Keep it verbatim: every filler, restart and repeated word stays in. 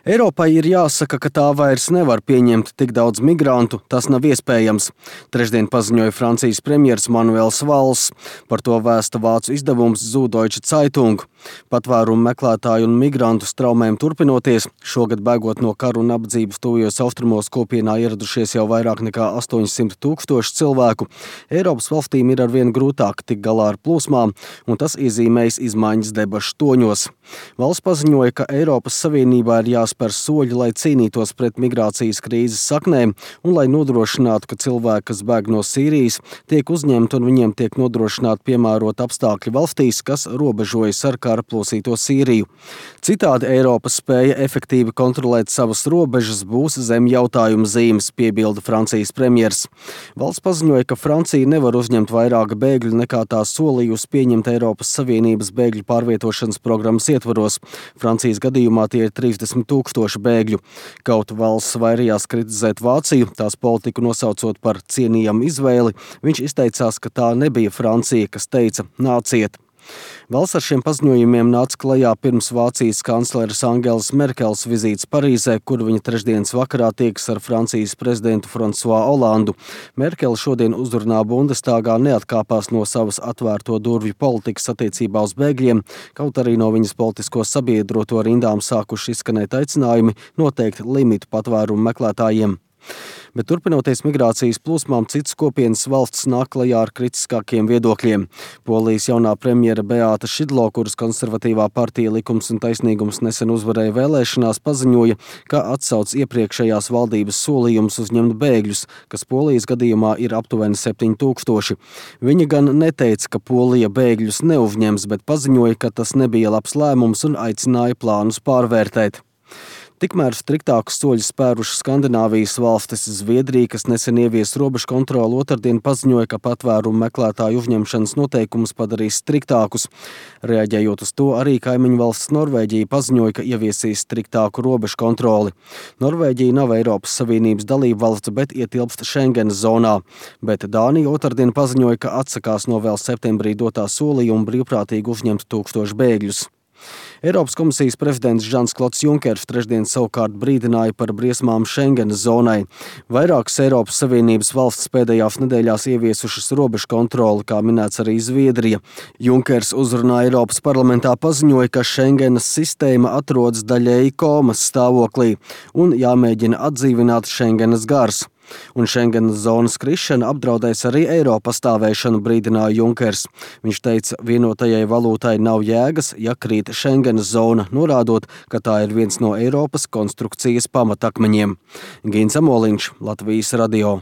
Eiropai ir jāsaka, ka tā vairs nevar pieņemt tik daudz migrantu, tas nav iespējams. Trešdien paziņoja Francijas premjers Manuels Valls. Par to vēsta vācu izdevums Süddeutsche Zeitung. Patvērumu meklētāju un migrantu straumēm turpinoties, šogad bēgot no karu un nabadzības tuvajos austrumos kopienā ieradušies jau vairāk nekā astoņsimt tūkstoši cilvēku. Eiropas valstīm ir arvien grūtāk tikt galā ar plūsmām, un tas iezīmējas izmaiņas debašu toņos. Valsts paziņoja, ka Eiropas Savienībā ir jāspēr soļi, lai cīnītos pret migrācijas krīzes saknēm un lai nodrošinātu, ka cilvēki, kas bēg no Sīrijas, tiek uzņemti un viņiem tiek nodrošināti piemērot apstākļi valstīs, kas robežojas ar kara plosīto Sīriju. Citādi Eiropa spēja efektīvi kontrolēt savas robežas būs zem jautājuma zīmes, piebilda Francijas premjers. Valsts paziņoja, ka Francija nevar uzņemt vairāk bēgļu nekā tā solījusi pieņemt Eiropas Savienības bēgļu pārvietošanas programmas ietvaros. Francijas gadījumā tie ir trīsdesmit tūkstoši bēgļu. Kaut valsts vairījās kritizēt Vāciju, tās politiku nosaucot par cienījamu izvēli, viņš izteicās, ka tā nebija Francija, kas teica nāciet. Valsts ar šiem paziņojumiem nāca klajā pirms Vācijas kancleres Angelas Merkels vizītes Parīzē, kur viņa trešdienas vakarā tiekas ar Francijas prezidentu François Hollandu. Merkele šodien uzrunā Bundestagā neatkāpās no savas atvērto durvju politikas attiecībā uz bēgļiem, kaut arī no viņas politisko sabiedroto rindām sākuši izskanēt aicinājumi noteikt limitu patvērumu meklētājiem. Bet turpinoties migrācijas plūsmām, citas kopienas valsts nāk klajā ar kritiskākiem viedokļiem. Polijas jaunā premjera Beāta Šidlo, kuras konservatīvā partija Likums un taisnīgums nesen uzvarēja vēlēšanās, paziņoja, ka atsauc iepriekšējās valdības solījumus uzņemt bēgļus, kas Polijas gadījumā ir aptuveni septiņi tūkstoši. Viņa gan neteica, ka Polija bēgļus neuzņems, bet paziņoja, ka tas nebija labs lēmums un aicināja plānus pārvērtēt. Tikmēr striktākus soļus spērušas Skandināvijas valstis. Zviedrija, kas nesen ievies robežu kontroli, otrdien paziņoja, ka patvērumu meklētāju uzņemšanas noteikumus padarīs striktākus. Reaģējot uz to, arī kaimiņu valsts Norvēģija paziņoja, ka ieviesīs striktāku robežu kontroli. Norvēģija nav Eiropas Savienības dalība valsts, bet ietilpst Schengenas zonā. Bet Dānija otrdien paziņoja, ka atsakās no vēl septembrī dotā solījuma brīvprātīgi uzņemt tūkstošu bēgļus. Eiropas komisijas prezidents Žans-Klods Junkers trešdien savukārt brīdināja par briesmām Schengenas zonai. Vairākas Eiropas Savienības valsts pēdējās nedēļās ieviesušas robežu kontroli, kā minēts arī Zviedrija. Junkers uzrunā Eiropas parlamentā paziņoja, ka Schengenas sistēma atrodas daļēji komas stāvoklī un jāmēģina atdzīvināt Schengenas gars. Un Schengenas zonas krišana apdraudēs arī eiro pastāvēšanu, brīdināja Junkers. Viņš teica, vienotajai valūtai nav jēgas, ja krīt Schengenas zona, norādot, ka tā ir viens no Eiropas konstrukcijas pamatakmeņiem. Gins Amoliņš, Latvijas radio.